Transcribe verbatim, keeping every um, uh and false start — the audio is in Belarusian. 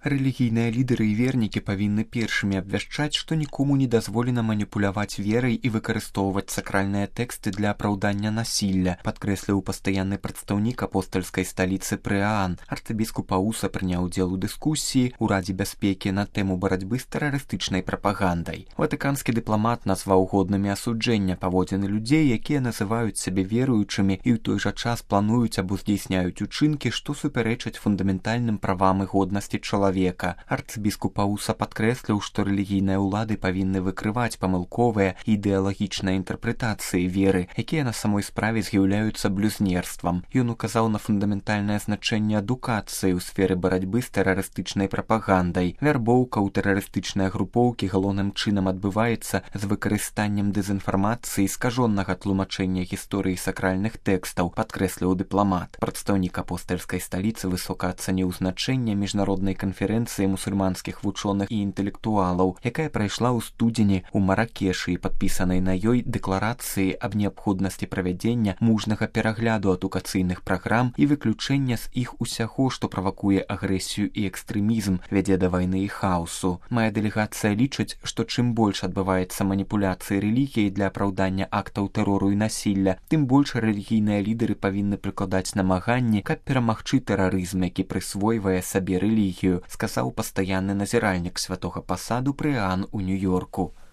Рэлігійныя лідары і вернікі павінны першымі абвяшчаць, што нікому не дазволена маніпуляваць верай і выкарыстоўваць сакральныя тэксты для апраўдання насілля, падкрэсліў пастаянны прадстаўнік апостальскай сталіцы Прыаан. Арцыбіскуп Ауса прыняў удзел у дыскусіі ў Радзе бяспекі на тэму барацьбы з тэрарыстычнай прапагандай. Ватыканскі дыпламат назваў годнымі асуджэння паводзіны людзей, якія называюць сябе веруючымі і ў той жа час плануюць або здзейсняюць учынкі, што супярэчаць фундаментальным правам і годнасці чалавека. Арцыбіскуп Ауса падкрэсліў, што рэлігійныя ўлады павінны выкрываць памылковыя ідэалагічныя інтэрпрэтацыі веры, якія на самой справе з'яўляюцца блюзнерствам. Ён указаў на фундаментальнае значэнне адукацыі ў сферы барацьбы з тэрарыстычнай прапагандай. Вярбоўка ў тэрарыстычныя групоўкі галоўным чынам адбываецца з выкарыстаннем дэзінфармацыі і скажоннага тлумачэння гісторыі сакральных тэкстаў, падкрэсліў дыпламат. Прадстаўнік апостальскай сталіцы высока ацаніў значэнне міжнароднай канферэнцыі канферэнцыі мусульманскіх вучоных і інтэлектуалаў, якая прайшла ў студзені ў Маракешы і падпісанай на ёй дэкларацыі аб неабходнасці правядзення мужнага перагляду адукацыйных праграм і выключэння з іх усяго, што правакуе агрэсію і экстрэмізм, вядзе да вайны і хаосу. Мая дэлегацыя лічыць, што чым больш адбываецца маніпуляцыі рэлігіяй для апраўдання актаў тэрору і насілля, тым больш рэлігійныя лідары павінны прыкладаць намаганні, каб перамагчы тэрарызм, які прысвойвае сабе рэлігію, сказаў пастаянны назіральнік святога пасаду Прыаан у Нью-Йорку.